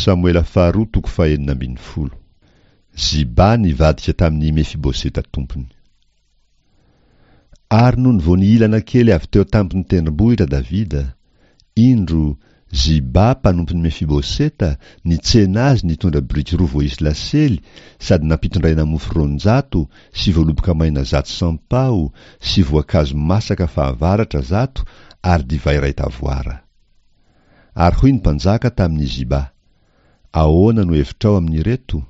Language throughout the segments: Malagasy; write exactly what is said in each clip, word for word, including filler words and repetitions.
Samoela faharoa toko fahenina ambin'ny folo. Ziba nivadika tamin'i Mefiboseta tompony. Ary nony vao nihilana kely avy teo an-tampon'ny tendrombohitra Davida, indro, Ziba mpanompon'i Mefiboseta nitsena azy nitondra biriky roa voaisy lasely sady nampitondraina mofo roanjato sy voaloboka maina zato sampaho sy voankazo masaka fahavaratra zato ary divay iray tavoara. Ary hoy ny mpanjaka tamin'i Ziba, Ahoana no hevitrao amin'ireto?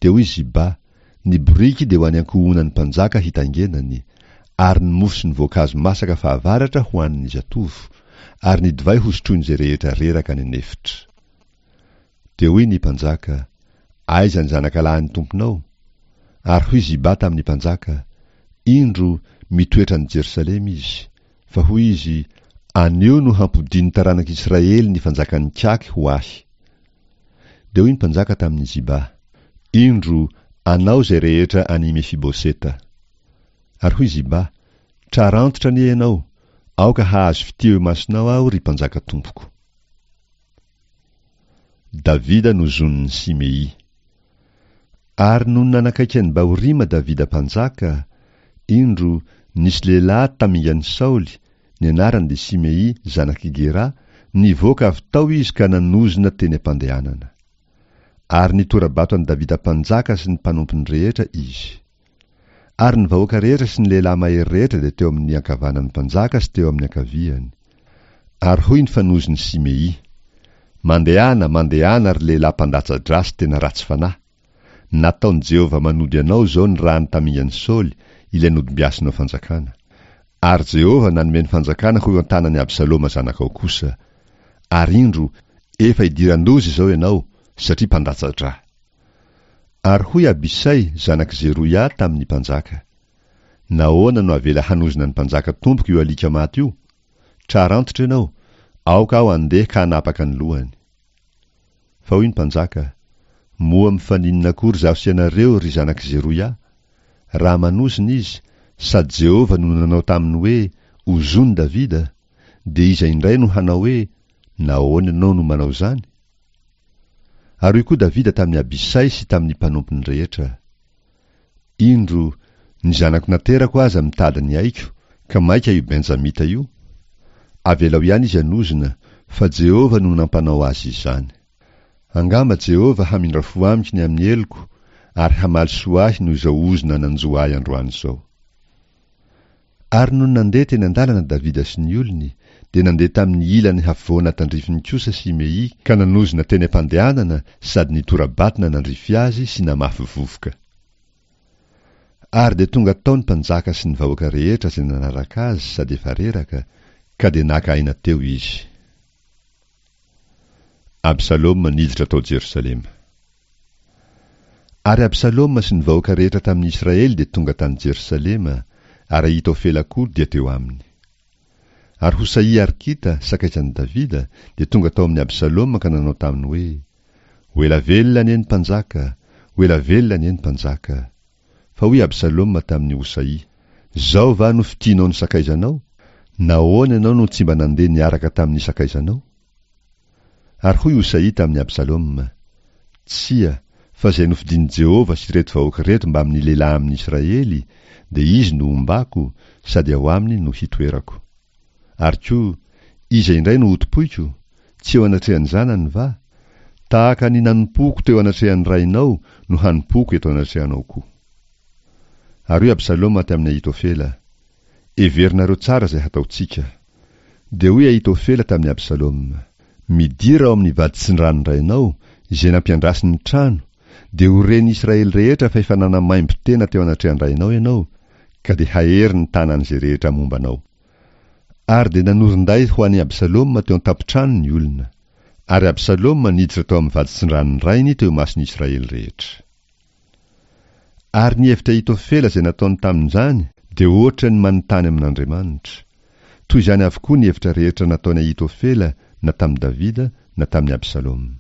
Dia hoy Ziba, Ny biriky dia ho an'ny ankohonan'ny mpanjaka hitaingenany, ary ny mofo sy ny voankazo masaka fahavaratra ho an'ny zatovo, ary ny divay hosotroin'izay rehetra reraka any an'efitra. Dia hoy ny mpanjaka, Aiza ny zanakalahin'ny tomponao? Ary hoy Ziba tamin'ny mpanjaka, Indro, mitoetra any Jerosalema izy. Fa hoy izy, Anio no hampodian'ny taranak'Israely ny fanjakan'ny kaky ho ahy. Dia hoy ny mpanjaka tamin'i Ziba, Indro, anao izay rehetra any Mefiboseta. Ary hoy Ziba, Trarantitra anie ianao, aoka hahazo fitia eo imasonao aho, ry mpanjaka tompoko. Davida nozonin'i Simei. Ary nony nanakaiky an'i Bahorima Davida mpanjaka, indro, nisy lehilahy tamingan'i Saoly, ny anarany dia Simei zanak'i Gera, nivoaka avy tao izy ka nanozona teny am-pandehanana. Ary nitora-bato an'i Davida mpanjaka sy ny mpanompony rehetra izy. Ary ny vahoaka rehetra sy ny lehilahy mahery rehetra dia teo amin'ny ankavanan'ny mpanjaka sy teo amin'ny ankaviany. Ary hoy ny fanozon'i Simei, Mandehana, mandehana, ry lehilahy mpandatsa-drà sy tena ratsy fanahy! Nataon'i Jehovah manody anao izao ny ràny tamingan'i Saoly, ilay nodimbiasinao fanjakana. Ary Jehovah nanome ny fanjakana ho eo an-tanan'i Absaloma zanakao kosa. Ary indro, efa idiran-doza izao ianao, satria mpandatsa-drà. Ary hoy Abisay, zanak'i Zeroia, tamin'ny mpanjaka, Nahoana no avela hanozona ny mpanjaka tompoko io alika maty io? Trarantitra ianao, aoka aho handeha ka hanapaka ny lohany. Fa hoy ny mpanjaka, Moa mifaninona akory izaho sy ianareo, ry zanak'i Zeroia? Raha manozona izy, sady Jehovah no nanao taminy hoe, Ozony Davida, dia iza indray no hanao hoe, Nahoana ianao no manao izany? Ary hoy koa Davida tamin'i Abisay sy tamin'ny mpanompony rehetra, Indro, ny zanako naterako aza mitady ny aiko, ka mainka io Benjamita io? Avelao ihany izy hanozona, fa Jehovah no nampanao azy izany. Angamba Jehovah hamindra fo amiko ny amin'ny heloko, ary hamaly soa ahy noho izao ozona nanjo ahy androany izao. Ary nony nandeha teny an-dalana Davida sy ny olony, dia nandeha tamin'ny ilany havoana tandrifiny kosa Simei ka nanozona teny am-pandehanana sady nitora-bato nanandrify azy sy namafy vovoka. Ary dia tonga tao ny mpanjaka sy ny vahoaka rehetra izay nanaraka azy sady efa reraka, ka dia naka aina teo izy. Absaloma niditra tao Jerosalema. Ary Absaloma sy ny vahoaka rehetra tamin'ny Israely dia tonga tany Jerosalema, ary Ahitofela koa dia teo aminy. Ary Hosaia Arkita, sakaizan'i Davida, dia tonga tao amin'i Absaloma ka nanao taminy hoe, Ho ela velona anie ny mpanjaka! Ho ela velona anie ny mpanjaka! Fa hoy Absaloma tamin'i Hosaia, Izao va no fitianao ny sakaizanao? Nahoana ianao no tsy mba nandeha niaraka tamin'ny sakaizanao? Ary hoy Hosaia tamin'i Absaloma, Tsia, fa izay nofidin'i Jehovah sy ireto vahoaka ireto mbamin'ny lehilahy amin'ny Israely, dia izy no hombako, sady ao aminy no hitoerako. Ary koa, iza indray no hotompoiko? Tsy eo anatrehan'ny zanany va? Tahaka ny nanompoako teo anatrehan'ny rainao no hanompoako eto anatrehanao koa. Ary hoy Absaloma tamin'i Ahitofela, Heverinareo tsara izay hataontsika. Dia hoy Ahitofela tamin'i Absaloma, Midira ao amin'ny vaditsindranon-drainao, izay nampiandrasiny ny trano, dia ho ren'ny Israely rehetra fa efa nanamaimbo tena teo anatrehan-drainao ianao, ka dia hahery ny tanan'izay rehetra momba anao. Ary dia nanorin-day ho an'i Absaloma teo an-tampon-trano ny olona. Ary Absaloma niditra tao amin'ny vaditsindranon-drainy teo imason'ny Israely rehetra. Ary ny hevitra Ahitofela izay nataony tamin'izany dia hoatra ny manontany amin'Andriamanitra. Toy izany avokoa ny hevitra rehetra nataon'i Ahitofela na tamin'i Davida na tamin'i Absaloma.